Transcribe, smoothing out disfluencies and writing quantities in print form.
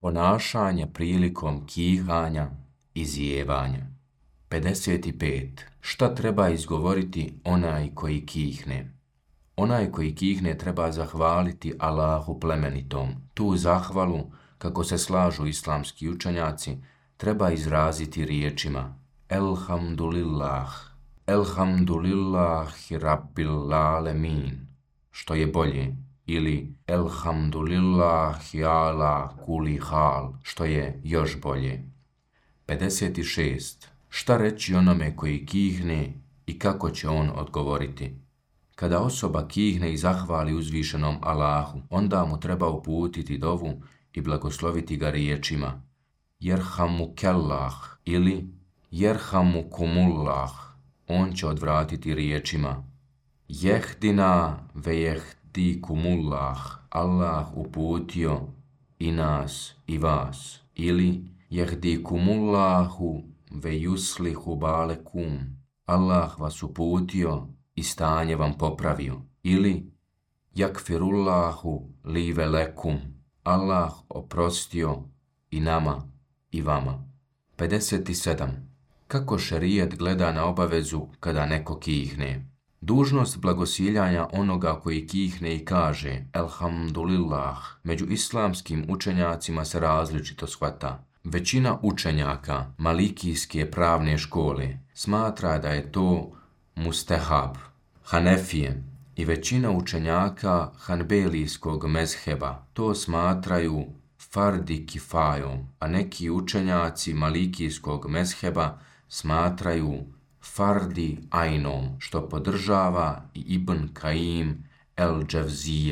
Ponašanje prilikom kihanja i zijevanja. 55. Šta treba izgovoriti onaj koji kihne? Onaj koji kihne treba zahvaliti Allahu plemenitom. Tu zahvalu, kako se slažu islamski učenjaci, treba izraziti riječima Elhamdulillah, Elhamdulillahi Rabbil Alemin, što je bolje, ili Elhamdulillahi ala kuli hal, što je još bolje. 56. Šta reći onome koji kihne i kako će on odgovoriti? Kada osoba kihne i zahvali uzvišenom Allahu, onda mu treba uputiti dovu i blagosloviti ga riječima Jerhamukellah ili Jerhamukumullah. On će odvratiti riječima Jehdina ve jehdikumullah. Allah uputio i nas i vas. Ili Jehdikumullahu ve yuslihu balekum. Allah vas uputio i stanje vam popravio. Ili Jakfirullahu li velekum. Allah oprostio i nama i vama. 57. Kako šerijat gleda na obavezu kada neko kihne? Dužnost blagosiljanja onoga koji kihne i kaže Elhamdulillah među islamskim učenjacima se različito shvata. Većina učenjaka malikijske pravne škole smatra da je to mustehab. Hanefije i većina učenjaka hanbelijskog mezheba to smatraju fardi kifajom, a neki učenjaci malikijskog mezheba smatraju fardi ajnom, što podržava i Ibn Kaim el-Dževzije.